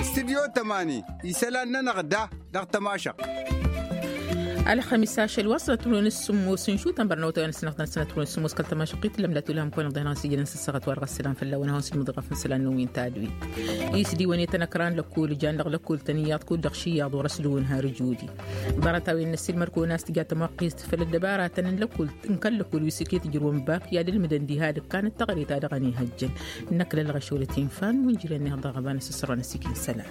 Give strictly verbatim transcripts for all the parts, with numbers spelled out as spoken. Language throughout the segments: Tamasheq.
Istidyo tămani isălan-nănăɣ da dăɣ-tămašăɣt. Ălxămis ašăl wa sănăt wăren s-sǝmmos n-šutăn bărnăwătăwen s-năɣtăn sănăt wăren s-sǝmmos kăl-tămašăɣt i-tǝllăm datulăm kăwăn-năɣ dăɣ-năɣ s-ijănen s-ăssaɣăt wa dăɣ-s sălam fălla-wen a hawăn-sǝlmǝḍ iɣafăn isălan-năwăn ta d-wit. Isdiwăn i-tăn ăkran lăkkul jan dăɣ-lăkkul-tăn iyyăḍ kud-dăɣ ši iyyăḍ wăr-ăsdǝwǝn har ǝjudi. Ḍarăt-a-wen n-ăssiilmăr-kăwăn a-s tǝja tămoqqist făll-ăddăbaratăn n-lăkkul n-kăl-lăkkul wi s-iket ǝjrǝwăn bak i-ad-ǝlmǝdăn diha d-ǝkkan d-taɣre ta dăɣ-ănihăjjăn. Năkk lălɣăš wăr-ătinfan wǝnjǝren-neɣ dăɣ-aɣăba n-asǝsrănăs ikin isălan.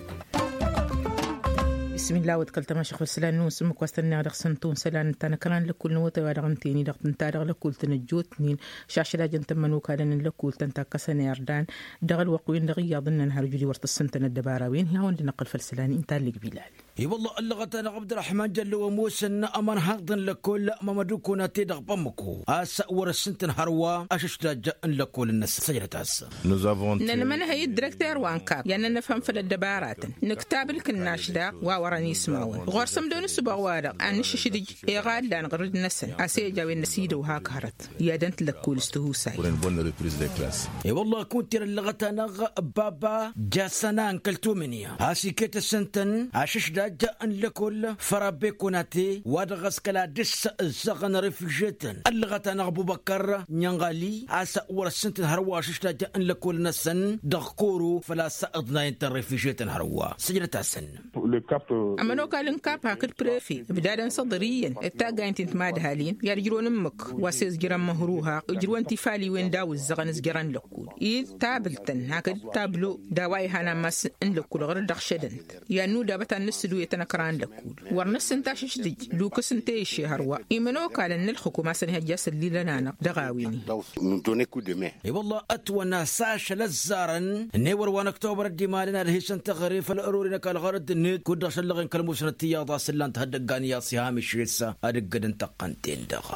Bismillah wăd kăl-tămašăɣ făll-isălan-năwăn s-ǝmmǝk wa s-tănneɣ dăɣ-săn tawăn isălan ǝnta n-ăkran lăkkul n-awătay wa dăɣ-ǝnta-i-ni dăɣ-tǝnta dăɣ-lăkkul-tăn ăjjootnen. Šašăl a jăn tămmănokal n-lăkkul-tăn takkăsăn irdan dăɣ-ălwăqq-win-dăɣ iyyăḍ ǝnnăn har ǝjud-i wăr tǝssǝntăn ăddăbara-win hi-hawăn-dd-năqqǝl făll-isălan inta ăllig bilal. I-wălla ăllăɣăt-anăɣ abd-răḥman jăllăw ămoosăn ămărhăḍ n-lăkkol mămădukun a te-dăɣ bămmăko a-s wăr-ăssǝntăn hărwa ašǝšdaj n-lăkkol-năsăn săjdăt-as. Nănmănhăy d-direkter wa n-kap i-ad-nănăfhăm făll-ăddăbaratăn nǝktab ǝlkǝnnaš daɣ wa wărăn ismawăn ɣur-s ămdăw n-ǝssǝbaɣ-wa-dăɣ ad-nǝššǝšdǝj iɣallan ɣǝrǝd-năsăn a-s e-ăj a-wen năsidăw hak hărăt i-ad-ănt lăkkul s-tihusay. I-wălla kunta irăllăɣăt-anăɣ baba jasăna n-kăl-tumǝnǝya a-s iket ǝssǝntăn ašǝšdaj n-lăkkol fărabbe kunate wa dăɣ-s kăla dăr-s ǝzzăɣăn refižetăn ăllăɣăt-anăɣ bubăkkăr n-inɣali a-s wăr-ăssǝntăn hărwa ašǝšdaj n-lăkkol-năsăn dăɣ-koro făl-a-s ǝḍnayăn-tăn refižetăn hărwa săjdăt-asăn. Ămănokal n-kap hakd prefe ǝbdadăn s-aḍăr iyyăn d-taggaynt-in timadhalin i-ad-ǝjrǝwăn ǝmmǝk wa s-e-s jărăn măhruha ǝjrǝwăn tifaliwen d-a-wa ǝzzăɣăn s-jărăn lăkkul-i tabǝl-tăn hakd tablo d-a-wa ihan ammas n-lăkkul ɣur-dd ăɣšădăn-t i-ad-nuda bătan n-ǝssǝdǝw i-tăn ăkra n-lăkkul wăr năssǝnta ašǝšdǝj lukkǝs n-teyǝšše hărwa imănokalăn n-ǝlxǝkum a-s ănihăjja s-ăllilăn-anăɣ dăɣ-a-wen-i. I-wălla ătwănna s-ašăl ăzzarăn n-ewăr wa n-ăktobăr ăddimalăn ad-hisăn teɣăre făll-ărori n-ăkall ɣur-dd-net kud-dăɣ šăllăɣen kăl-musnăt iyyăḍ a-s ǝllan-t hăddăggan iyyăḍ s-iha mišel s-ad-ǝggădăn tăqqăn-ten-dăɣ.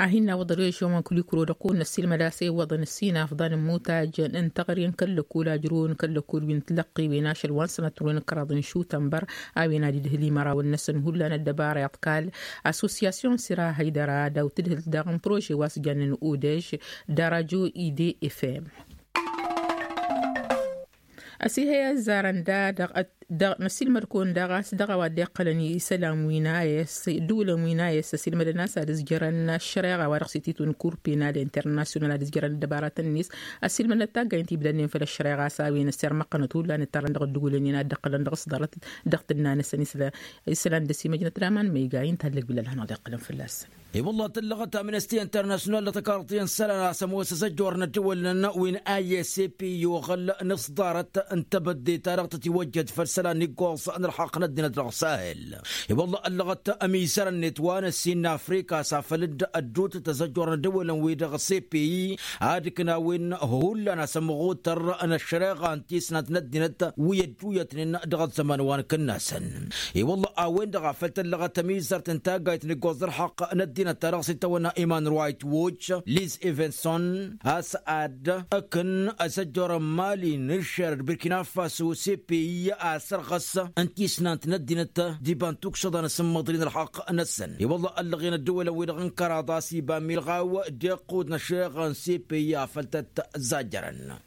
A hin-nawăḍ režion wa n-kulikuro dăɣ-kăwăn-năssiilmăd a-s iwwăḍăn ǝssin afḍăn n-imutaj n-teɣăre n-kăl-lăkkul ajrăwăn kăl-lăkkul wi n-tilăqqi wen ašăl wa n-sănăt wăren ǝkraḍ n-išutăn băr a-wen ad-idhǝl imărawăn-năsăn hullan ăddăbara iḍkal assosyasyon sira hăydăra daw-tǝdhǝlt daɣ n-prože wa s-jannen odež d-arajo ide efem. Ăsihăy ăzzarăn da dăɣ-năsilmăd-kăwăn daɣ a-s dăɣ-a-wa dd-iqqălăn isălan wi n-a s-ǝddǝwǝlăn wi n-a s-ăsilmădăn a-s ad-ǝzjărăn ăššăreɣa wa dăɣ-s ititun kur penal internasyonal ad-ǝzjărăn ăddăbaratăn-net ăsilmădnăt taggaynt ibdănnen făll-ăššăreɣa a-s a-wen ăssirmăqqănăt hullan ǝttarrăn dăɣ-ǝddǝwǝlăn-in ad-dd-ăqqălăn dăɣ-s ḍarăt dăɣ-tǝnna-năsăn isălan dăr-s imăjnăt d-aman ma iga inta ăllăg bilal hanăɣ-dd-iqqălăn fălla-săn. I-wălla tǝllăɣăt amnesty internasyonal dăɣ-tăkarḍi n-isălan a-s ămoos azăjjor n-ăddǝwǝlăn wi n-a s p i-oɣăl n-aṣḍarăt n-tebădde ta dăɣ-tătiwăjjăd făll-isălan n-iggoẓ n-ălxaqq n-ăddinăt dăɣ-sahel. I-wălla ăllăɣăt ămizăr-net wa n-ăssin n-afrika a-s afăl dd-ăddutăt azăjjor n-ăddǝwǝlăn wi dăɣ-s p i ad-ǝknawen hullan asămɣutăr n-ăššăreɣa n-tisnant n-ăddinăt wi ădduyătnen dăɣ-ăzzăman wa n-kǝnnasăn. I-wălla a-wen-dăɣ a făl tăllăɣăt ămizărt n-taggayt n-iggoẓ d-ălxaqq n-ăddinăt ta dăɣ-s itawănna iman ruwayt woj liz evenson a-s ad-ǝkǝn azăjjor n-mali n-iššer d-birkina faso s-e-p i a-s ărɣăs n-tisnant n-ăddinăt d-iba n-tukšăḍa n-asǝmmăḍri n-ălxaqq-năsăn. I-wălla ăllăɣen ăddăwălăn-wi-dăɣ n-kăraḍ a-s iba milɣaw d-iqqud n-ăššeɣ n-s-e-p i a făl tăt-zajjărăn.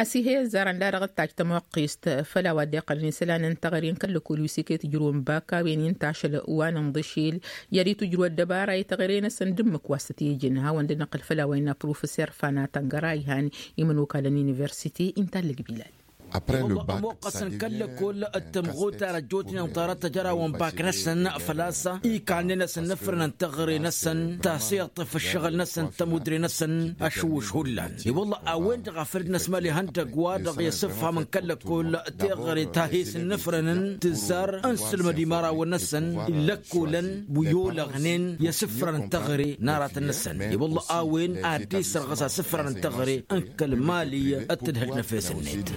Ăsihăy ăzzarăn da dăɣ-dd-tajj tămoqqist făll-a-wa dd-iqqălăn isălan n-teɣăre n-kăl-lăkul wi s-iket ǝjrǝwăn bak a-wen inta ašăl wa n-inḍǝšel i-ad-itǝjrǝw ăddăbara i-teɣăre-năsăn d-ǝmmǝk wa s-tăt-ijǝn hawăn-dd-năqqǝl făll-a-wa innă professor fana tăngăra a ihan imănokalăn universite inta ăllăg bilal. Ămoqqăsăn kăl-lăkol d-tămɣutar ăjjootnen ḍarăt ăjărawăn bak-năsăn făl-a-s ikanne-năsăn n-afrăn n-teɣăre-năsăn tasiḍt f-ǝššăɣǝl-năsăn d-tămudre-năsăn ašǝwwǝš hullan. I-wălla a-wen-dăɣ a făl dd-năsmali ihăndăgg wa-dăɣ i-asǝfham n-kăl-lăkol teɣăre ta hes n-afrăn n-tǝzzar n-sǝlmăd imărawăn-năsăn lăkkolăn wi olăɣnen i-asǝfran n-teɣăre n-aratăn-năsăn. I-wălla a-wen ad-dd-isărɣǝs asǝfran n-teɣăre n-kăl-mali d-tǝdhǝlt n-efes-net.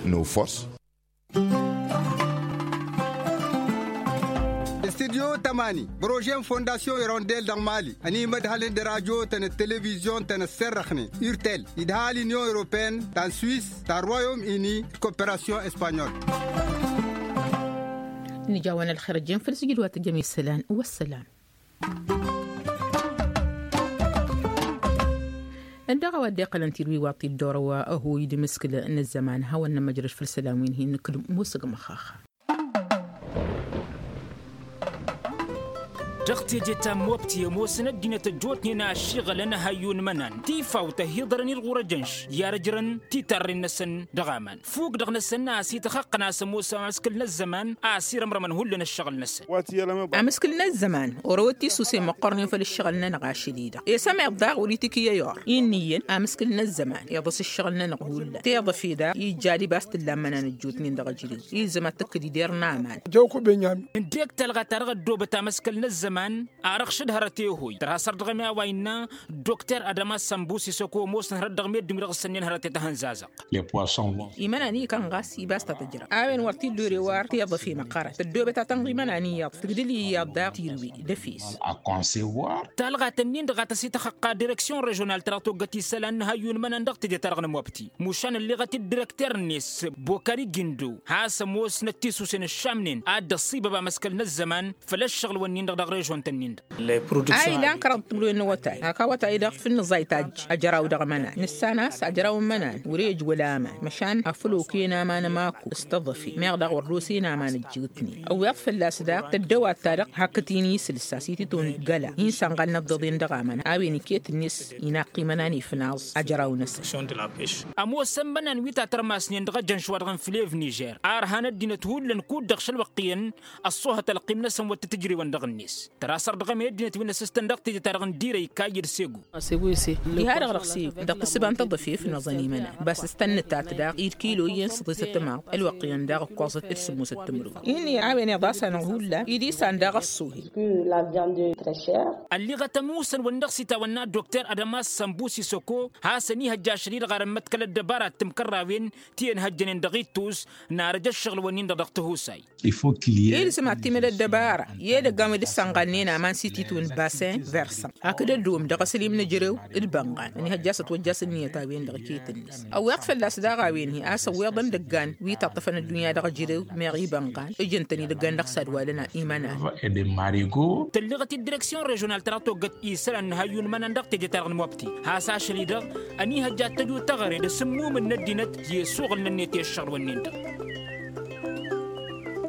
Studyo tămani bărože n-fondasyon irondel dăɣ-mali ănimădhălăn d-rajo-tăn d-televizyon-tăn ăsserrăxnen urtel idhal inyon europene ta n-swis ta n-royom ini d-koperasyon espanyol. Nǝja-wăn ălxer ăjjeen făll-sǝjdǝwat ăjjăm isălan. Wăssălam. Dăɣ-a-wa dd-iqqălăn tirwi wa t-dd-orăwăn ăhuy d-imǝskǝl n-ăzzăman hawăn-nămăjrăš făll-isălan wi n-hin-nǝkǝlǝm. Musǝg măxxaxa. Dăɣ-teje ta n-mobti ămoosăn ăddinăt ăjjootnen a ăššiɣălăn ăhăyyu n-imănan tifawt ăhiḍărăn-dd ɣur-ejănš i-ad-ăjrăn titarren-năsăn dăɣ-aman. Fuk-dăɣ-năsăn a-s ităxăqqăn a-s ămoos amǝskǝl n-ăzzăman a ăsirămrămăn hullan ǝššăɣǝl-năsăn. Amǝskǝl n-ăzzăman orăwăt tisusen măqqornen făll-ǝššăɣǝl-nănăɣ ašăl-i-dăɣ. Esămeḍ daɣ wăr-itikǝy ăyur-i ǝnniyăn amǝskǝl n-ăzzăman iḍǝs ǝššăɣǝl-nănăɣ hullan tiḍăfe daɣ ija ad-ibas tǝlla n-imănan ăjjootnen dăɣ-ejărew. Ilzăm ad-tǝkkǝd ider n-aman. Jăw-ku benyam. Ǝndek talɣa-ta-dăɣ ăddoobăt amǝskǝl n-ăzzăman. Arăɣ šăd hărăt i-hoy tărha săr dăɣ-emya wa innă dokter adăma sănbus isăko ămoosăn hărăt dăɣ-meddǝn wi dăɣ-sănnen hărăt i-tăhăn zazăɣ. Imănan ikăn ɣas ibas ta tǝjrăw a-wen wăr t-illa ore war tiḍăf i-măqqărăn tăddoobăt ad-tănɣ imănan iyyăḍ tǝgdǝl iyyăḍ daɣ tirǝwi d-efes. Talɣa-tăn-in-dăɣ a tăs-ităxăqqa direksyon režional ta dăɣ-toggăt isălan n-ihăyyu n-imănan dăɣ-teje-ta-dăɣ n-mobti. Mušan ălleɣăt-dd direkter-net bokari gindo has-ămoosnăt tisusen ǝššamnen ad-dd-ăṣṣibăb amăskăl n-ăzzăman făll-ăššăɣǝl-wǝnnin-dăɣ dăɣ-režon-tăn-in-dăɣ. A ilan kăraḍ timǝrwen n-awătay hak awătay-dăɣ făll-nǝẓẓay tajj ajăraw dăɣ-imănan nǝssan a-s ajăraw n-imănan wăr-ejj wăla aman măšan afăl okăyăn aman ămaku s-tăḍăfe meɣ daɣ wăr dd-osen aman ăjjǝwtnen ăwweḍ fălla-s daɣ tăddăwat-ta-dăɣ hakd-t-in isǝlsa s-itǝton găla hin-sănɣalnăt d-iḍen dăɣ-aman a-wen iket-net. Inaqq imănan ifnaẓ ajăraw-năsăn. Ămoosăn imănan wi tatărmasnen dăɣ-ejănš-wa-dăɣ n-flev nižer a ărhan ăddinăt hullan kud-dăɣ šălwăqq iyyăn ăṣṣoohăt ălqim-năsăn wăr tǝtǝjrewăn dăɣ-net. Tăra săr dăɣ-emăy ăddinăt wi n-ăssǝstăn dăɣ-teje-ta-dăɣ n-dirăy kayy d-segu. Diha-dăɣ dăɣ-segu dăɣ-tǝssǝba n-tăḍăfe fnăẓăn imănan bas s-tăn-nǝtat daɣ id-kilo iyyăn s-ḍisăt ămaḍ ălwăqq iyyăn daɣ ǝkkoẓăt d-sǝmmosăt timǝrwen. Inn'-i a-wen iḍasăn hullan id-isan daɣ ăṣṣuhi. Ălliɣăt ămusăn wăr n-dăɣ-s itawănna dokter adămas sănbus isăko has-ănihăjja ašăl-i-dăɣ ar ămmăḍkăl ăddăbara d-timkărrawen ti ănhăjjănen dăɣ-ittus n-arăj ăššăɣǝl-wǝnnin-dăɣ dăɣ-tihusay. Ilsǝm ad-timǝl ăddăbara i-edăggan wi dd-sănɣalnen aman s-ititǝwǝn basen versant hakd ăddoom dăɣ-asǝlim n-ejărew d-bănɣan ănihăjja a-s ătwăjja a-s ǝnniyăt a-wen-dăɣ iket-net. Ăwweḍ fălla-s daɣ a-wen-hi a-s ăwweḍ ăndăggan wi taṭṭăfăn ăddunya dăɣ-ejărew meɣ ibănɣan ǝjǝn-tăn idăggan dăɣ-s ad-walăn imănan. Tălliɣăt-dd direksyon režional tăra toggăt isălan n-ihăyyu n-imănan dăɣ-teje-ta-dăɣ n-mobti has ašăl-i-dăɣ ănihăjja ad-tăju teɣăre d-asǝmmumǝn n-ăddinăt i-asuɣǝl-nănnet i-ăššăɣǝl-wǝnnin-dăɣ.